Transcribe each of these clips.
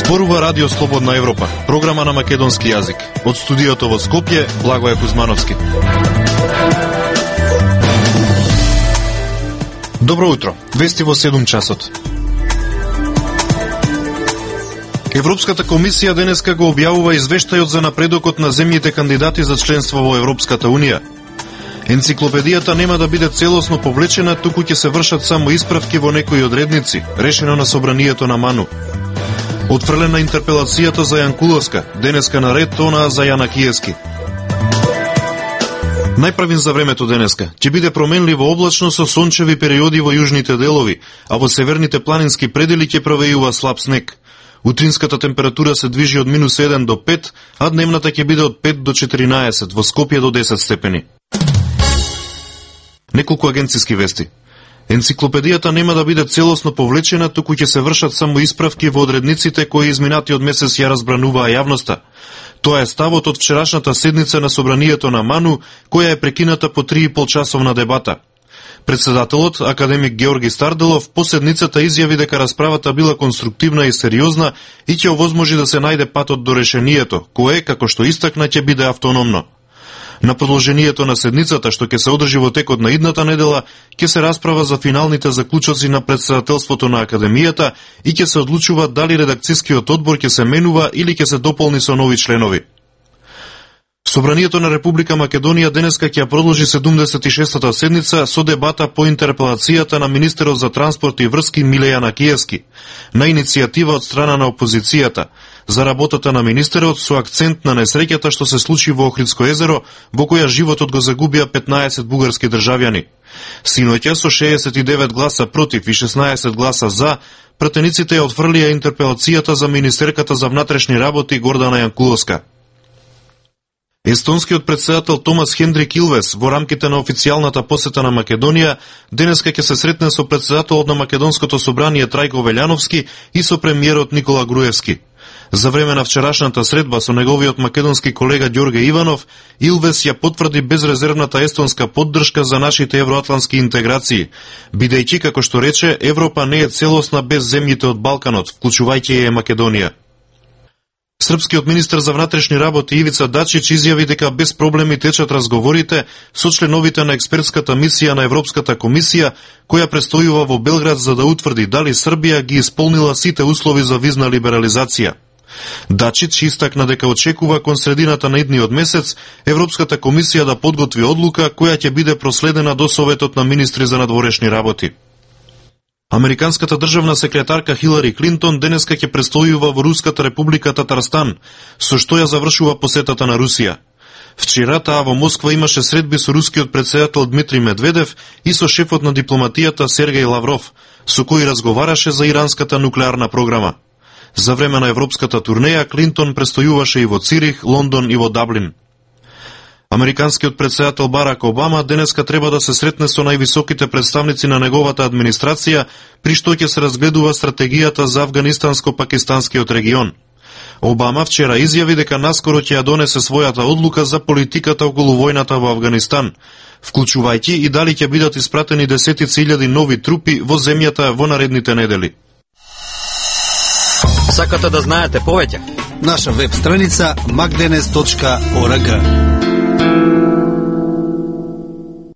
Зборува Радио Слободна Европа, програма на македонски јазик. Од студиото во Скопје, Благоје Кузмановски. Добро утро. Вести во 7 часот. Европската комисија денеска го објавува извештајот за напредокот на земјите кандидати за членство во Европската унија. Енциклопедијата нема да биде целосно повлечена, туку ќе се вршат само исправки во некои одредници, решено на собранието на МАНУ. Отфрлена интерпелацијата за Јанкуловска, денеска на ред онаа за Јанакиевски. Најправин за времето денеска ќе биде променливо облачно со сончеви периоди во јужните делови, а во северните планински предели ќе провејува слаб снег. Утринската температура се движи од -1 до 5, а дневната ќе биде од 5 до 14, во Скопје до 10 степени. Неколку агенциски вести. Енциклопедијата нема да биде целосно повлечена, туку ќе се вршат само исправки во одредниците кои изминатиот месец ја разбрануваа јавноста. Тоа е ставот од вчерашната седница на собранието на МАНУ, која е прекината по 3,5 часовна дебата. Председателот, академик Георги Старделов, по седницата изјави дека расправата била конструктивна и сериозна и ќе овозможи да се најде патот до решението, кое, како што истакна, ќе биде автономно. На продолжението на седницата, што ќе се одржи во текот на идната недела, ќе се расправа за финалните заклучоци на председателството на Академијата и ќе се одлучува дали редакцискиот одбор ќе се менува или ќе се дополни со нови членови. Собранието на Република Македонија денеска ќе продолжи 76-та седница со дебата по интерпелацијата на министерот за транспорт и врски Миле Јанакиевски, на иницијатива од страна на опозицијата, за работата на министерот со акцент на несреќата што се случи во Охридско езеро, во која животот го загубија 15 бугарски државјани. Синоќа со 69 гласа против и 16 гласа за, пратениците ја отфрлија интерпелацијата за министерката за внатрешни работи Гордана Јанкуловска. Естонскиот председател Томас Хендрик Илвес во рамките на официјалната посета на Македонија денеска ќе се сретне со председателот на Македонското собрание Трајко Велјановски и со премиерот Никола Груевски. За време на вчерашната средба со неговиот македонски колега Ѓорге Иванов, Илвес ја потврди безрезервната естонска поддршка за нашите евроатлантски интеграции, бидејќи, како што рече, Европа не е целосна без земјите од Балканот, вклучувајќи ја Македонија. Српскиот министер за внатрешни работи Ивица Дачич изјави дека без проблеми течат разговорите со членовите на експертската мисија на Европската комисија, која престојува во Белград за да утврди дали Србија ги исполнила сите услови за визна либерализација. Дачич истакна дека очекува кон средината на идниот месец Европската комисија да подготви одлука која ќе биде проследена до Советот на министри за надворешни работи. Американската државна секретарка Хилари Клинтон денеска ќе престојува во Руската република Татарстан, со што ја завршува посетата на Русија. Вчера таа во Москва имаше средби со рускиот председател Дмитрий Медведев и со шефот на дипломатијата Сергеј Лавров, со кој разговараше за иранската нуклеарна програма. За време на европската турнеја Клинтон престојуваше и во Цирих, Лондон и во Даблин. Американскиот председател Барак Обама денеска треба да се сретне со највисоките представници на неговата администрација, при што ќе се разгледува стратегијата за афганистанско-пакистанскиот регион. Обама вчера изјави дека наскоро ќе ја донесе својата одлука за политиката околу војната во Афганистан, вклучувајќи и дали ќе бидат испратени десетици илјади нови трупи во земјата во наредните недели. Сакате да знаете повеќе? Наша веб страница magdenes.org.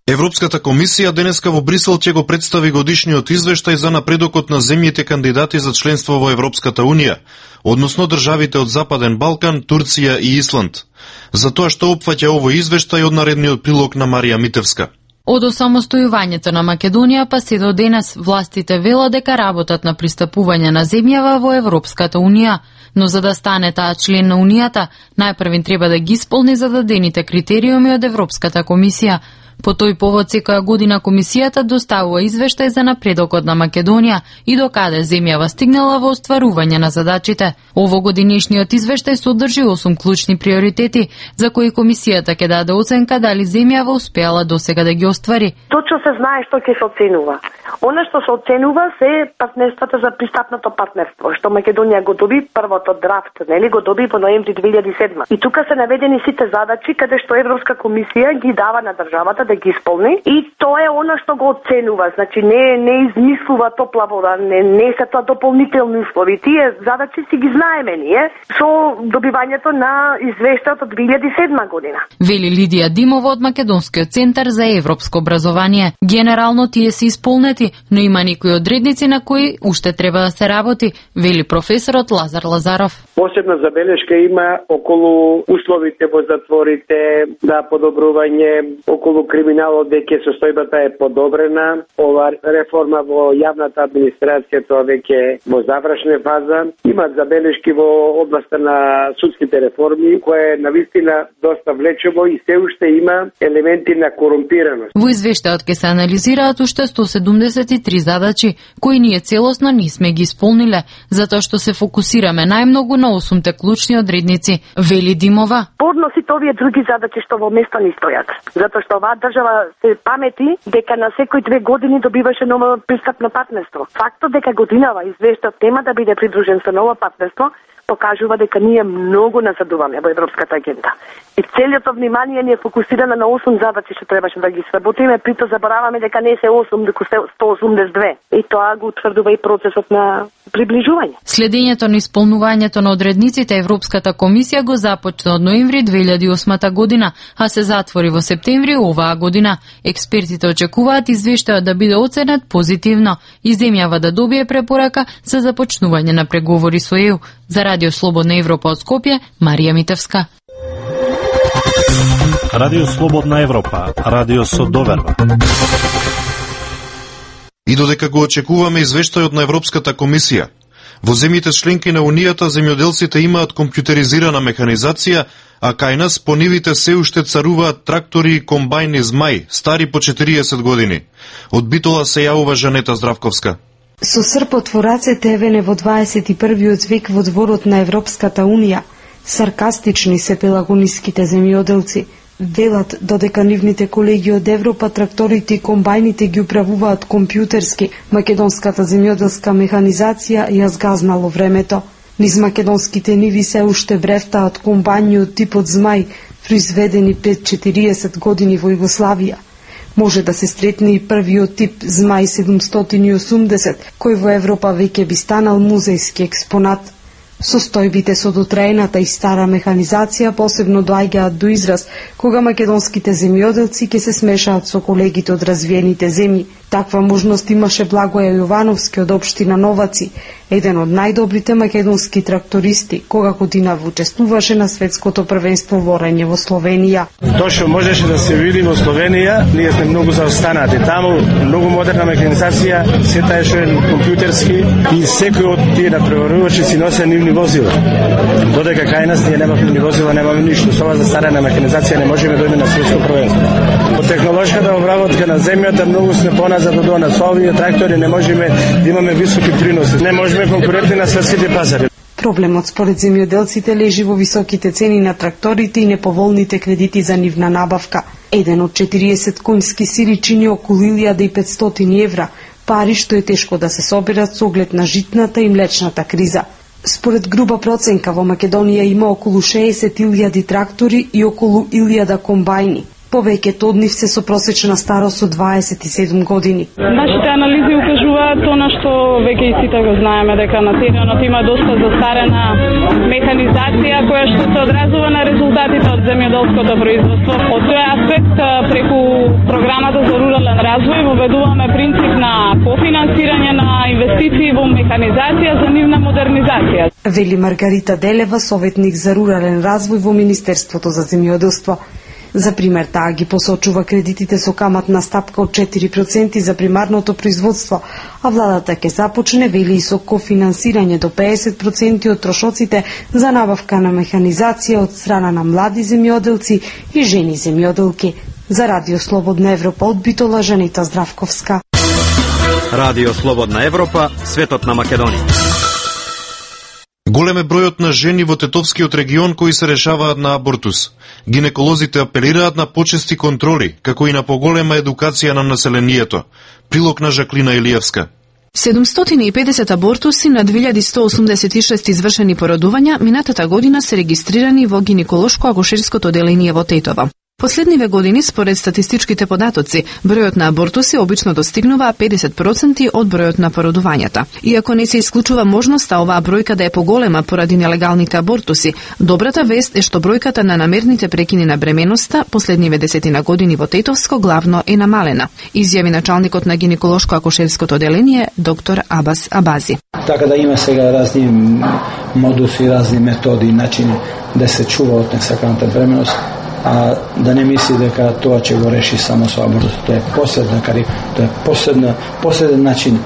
Европската комисија денеска во Брисел ќе го представи годишниот извештај за напредокот на земјите кандидати за членство во Европската унија, односно државите од Западен Балкан, Турција и Исланд. За тоа што опфаќа овој извештај од наредниот прилог на Марија Митевска. Од осамостојувањето на Македонија па се до денес властите велат дека работат на пристапување на земјава во Европската унија, но за да стане таа член на унијата, најпрвин треба да ги исполни зададените критериуми од Европската комисија. По тој повод секоја година комисијата доставува извештај за напредокот на Македонија и до каде земјава стигнала во остварување на задачите. Овогодинешниот извештај содржи 8 клучни приоритети за кои комисијата ќе даде оценка дали земјава успеала досега да ги оствари. Точно се знае што ќе се оценува. Она што се оценува се партнерствата за пристапното партнерство, што Македонија го доби првото драфт, нели го доби во ноември 2007. И тука се наведени сите задачи каде што Европска комисија ги дава на државата да ги исполни и тоа е она што го оценува, значи не измислува топла вода, не се тоа дополнителни услови. Тие задачи си ги знаеме ние со добивањето на извештајот од 2007 година. Вели Лидија Димова од Македонскиот центар за европско образование. Генерално тие се исполнети, но има некои одредници на кои уште треба да се работи, вели професорот Лазар Лазаров. Посебна забелешка има околу условите во затворите, да подобрување, околу криминалот веќе состојбата е подобрена, ова реформа во јавната администрација тоа веќе во завршна фаза, имаат забелешки во областа на судските реформи, која е навистина доста влечево и се уште има елементи на корумпираност. Во извештајот ќе се анализираат уште 173 задачи, кои ние целосно не сме ги исполниле, затоа што се фокусираме најмногу на 8 клучни одредници, вели Димова. Подно сите овие други задачи што во место не стојат, затоа што оваа држава се памети дека на секои 2 години добиваше ново пристапно партнерство. Фактот дека годинава извештајот нема да биде придружен со ново партнерство покажува дека ние многу назадуваме во европската агенда. И целото внимание ни е фокусирано на 8 задачи што требаше да ги сработиме, прито забораваме дека не се 8, дека се 182. И тоа го утврдува и процесот на приближување. Следењето на исполнувањето на одредниците Европската комисија го започна од ноември 2008 година, а се затвори во септември оваа година. Експертите очекуваат извештајот да биде оценет позитивно и земјава да добие препорака за започнување на преговори со ЕУ. За Радио Слободна Европа од Скопје, Марија Митевска. Радио Слободна Европа, радио со доверба. И додека го очекуваме извештајот на Европската комисија, во земјите членки на Унијата земјоделците имаат компјутеризирана механизација, а кај нас по нивите се уште царуваат трактори и комбајни Змај, стари по 40 години. Од Битола се јавува Жанета Здравковска. Со српот во рацете евене во 21. век во дворот на Европската Унија, саркастични се пелагониските земјоделци, велат додека нивните колеги од Европа тракторите и комбајните ги управуваат компјутерски, македонската земјоделска механизација ја згазнало времето. Низ македонските ниви се уште брефтаат комбајни од типот Змај, произведени пред 40 години во Југославија. Може да се сретне и првиот тип Змај 780, кој во Европа веќе би станал музејски експонат. Состојбите со дотраената и стара механизација посебно доаѓаат до израз кога македонските земјоделци ќе се смешаат со колегите од развиените земји. Таква можност имаше Благоја Јовановски од општина Новаци, еден од најдобрите македонски трактористи, кога годинава учествуваше на светското првенство во орање во Словенија. Тоа што можеше да се види во Словенија, ние сме многу заостанати. Таму многу модерна механизација, се таа што е компјутерски и секој од тие натпреварувачи си носе нивни возила. Додека кај нас ние немаме нивни возила, немаме ништо. Со ова застарена механизација не можеме да дојдеме на светско првенство. По технолошката обработка на земјата многу сме поназад од она. Со овие трактори не можеме да имаме високи приноси. Не можеме конкурентни на светските пазари. Проблемот според земјоделците лежи во високите цени на тракторите и неповолните кредити за нивна набавка. Еден од 40 конјски сири чини околу 1500 евра, пари што е тешко да се соберат со оглед на житната и млечната криза. Според груба проценка во Македонија има околу 60.000 трактори и околу 1000 комбајни. Повеќето од нив се со просечна старост од 27 години. Нашите анализи укажуваат она што веќе и сите го знаеме, дека на теренот има доста застарена механизација која што се одразува на резултатите од земјоделското производство. Од тој аспект, преку програмата за рурален развој воведуваме принцип на кофинансирање на инвестиции во механизација за нивна модернизација. Вели Маргарита Делева, советник за рурален развој во Министерството за земјоделство. За пример, таа ги посочува кредитите со каматна стапка од 4% за примарното производство, а владата ќе започне, вели, и со кофинансирање до 50% од трошоците за набавка на механизација од страна на млади земјоделци и жени земјоделки. За Радио Слободна Европа од Битола, Жанета Здравковска. Радио Слободна Европа, светот на Македонија. Голем е бројот на жени во Тетовскиот регион кои се решаваат на абортус. Гинеколозите апелираат на почести контроли, како и на поголема едукација на населението. Прилог на Жаклина Илиевска. 750 абортуси на 2186 извршени породувања минатата година се регистрирани во гинеколошко-акушерското оделение во Тетово. Последниве години, според статистичките податоци, бројот на абортуси обично достигнува 50% од бројот на породувањата. Иако не се исклучува можноста оваа бројка да е поголема поради нелегалните абортуси, добрата вест е што бројката на намерните прекини на бременоста последниве десетина години во Тетовско главно е намалена, изјави началникот на гинеколошко-акушерското оделение доктор Абас Абази. Така да има сега разни модуси, разни методи и начини да се чува од несаканата бременост, а да не мисли дека тоа ќе го реши само со абортус. Тоа е последен начин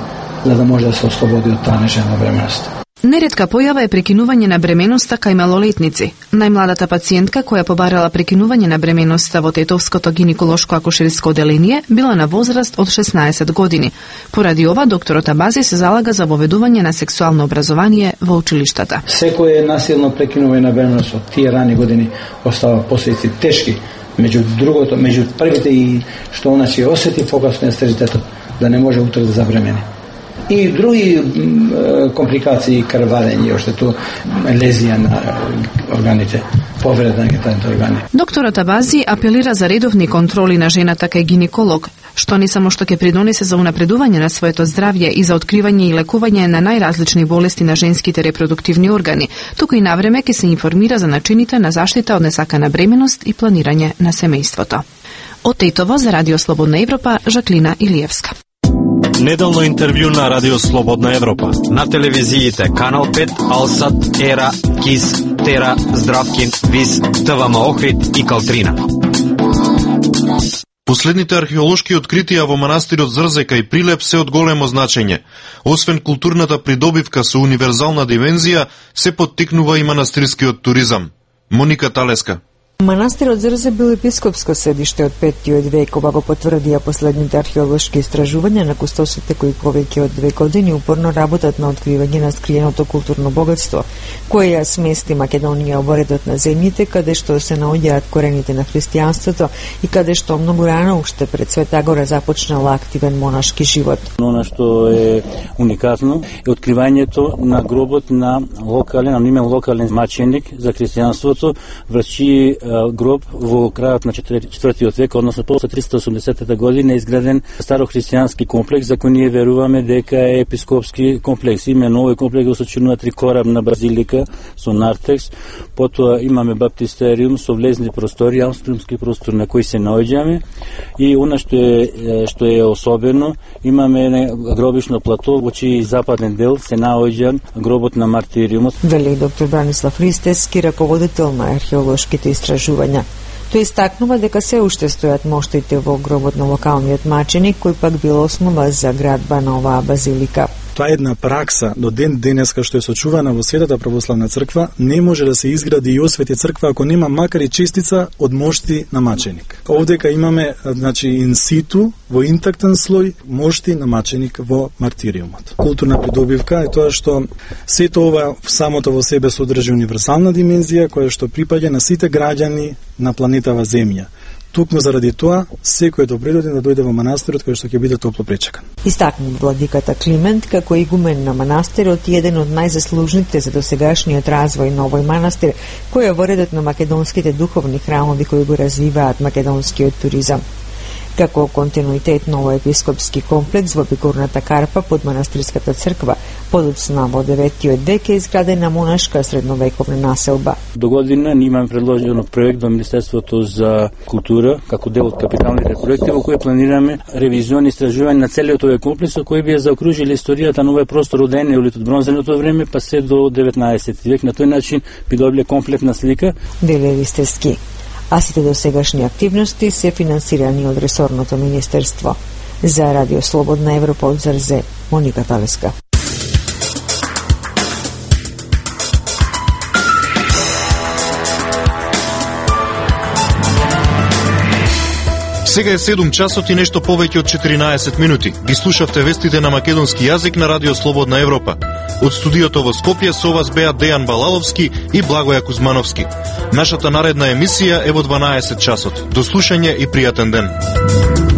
за да може да се ослободи од таа нежелена бременост. Неретка појава е прекинување на бременоста кај малолетници. Најмладата пациентка која побарала прекинување на бременоста во Тетовското гинеколошко-акушерско оделение била на возраст од 16 години. Поради ова, докторот Абази се залага за воведување на сексуално образование во училиштата. Секој насилно прекинување на бременост од тие рани години остава последици тешки. Меѓу првите и што она ќе осети покасно стерилитетот, да не може утре да забремени. И други компликации, крварење, оштето лезија на органите, повреда на гениталните органи. Докторот Абази апелира за редовни контроли на жената кај гинеколог, што не само што ќе придонесе за унапредување на своето здравје и за откривање и лекување на најразлични болести на женските репродуктивни органи, туку и навреме ќе се информира за начините на заштита од несакана бременост и планирање на семејството. Од Тетово за Радио Слободна Европа, Жаклина Илиевска. Неделно интервју на Радио Слободна Европа. На телевизиите Канал 5, Алсат, Ера, Кис, Тера, Здравкин, Вис, ТВМ Охрид и Калтрина. Последните археолошки откритија во манастирот Зрзека и Прилеп се од големо значење. Освен културната придобивка со универзална димензија, се поттикнува и манастирскиот туризам. Моника Талеска. Манастирот Зрзе бил епископско седиште од 5. век, ова го потврдија последните археолошки истражувања на кустосите кои повеќе од 2 години упорно работат на откривање на скриеното културно богатство, кое ја смести Македонија во редот на земјите каде што се наоѓаат корените на христијанството и каде што многу рано уште пред Света Гора започнала активен монашки живот. Она што е уникатно е откривањето на гробот на локален маченик за христијанството, врачи гроб во крајот на 4. век, односно после 380 година, изграден старохристијански комплекс за кој ние веруваме дека е епископски комплекс. Имено овој комплекс го сочинува 3 корабна базилика со нартекс, потоа имаме баптистериум со влезни простори, аустриумски простор на кој се наоѓаме, и она што е особено, имаме гробишно плато во чиј западен дел се наоѓа гробот на мартириумот. Вели доктор Бранислав Ристевски, раководител на археолошките истражувања. Тој истакнува дека се уште стојат моштите во гробот на локалниот маченик, кој пак бил основа за градба на оваа базилика. Тоа е една пракса до ден денеска што е сочувана во Светата православна црква. Не може да се изгради и освети црква ако нема макар и честица од мошти на маченик. Овдека имаме, значи, инситу во интактен слој мошти на маченик во мартириумот. Културна придобивка е тоа што сето ова самото во себе содржи универзална димензија која што припаѓа на сите граѓани на планетава Земја. Тукму заради тоа, секој е добредоден да дојде во манастирот кој што ќе биде топло пречекан. Истакна владиката Климент како игумен на манастирот и еден од најзаслужните за досегашниот развој на овој манастир, кој е во редот на македонските духовни храмови кои го развиваат македонскиот туризам. Како континуитет на овој епископски комплекс во Бигорната Карпа под манастирската црква, подоцна во 9. век е изградена монашка средновековна населба. До година ние имаме предложено проект во Министерството за култура како дел од капиталните проекти во кои планираме ревизиони и истражување на целиот овој комплекс кои би ја заокружили историјата на овој простор од енеолит од бронзеното време па се до 19. век. На тој начин би добиле комплетна слика. Вели Ристевски. А сите досегашни активности се финансирани од ресорното министерство. За Радио Слободна Европа од Зрзе, Моника Талеска. Сега е 7 часот и нешто повеќе од 14 минути. Ги слушавте вестите на македонски јазик на Радио Слободна Европа. Од студиото во Скопје со вас беа Дејан Балаловски и Благоја Кузмановски. Нашата наредна емисија е во 12 часот. До слушање и пријатен ден.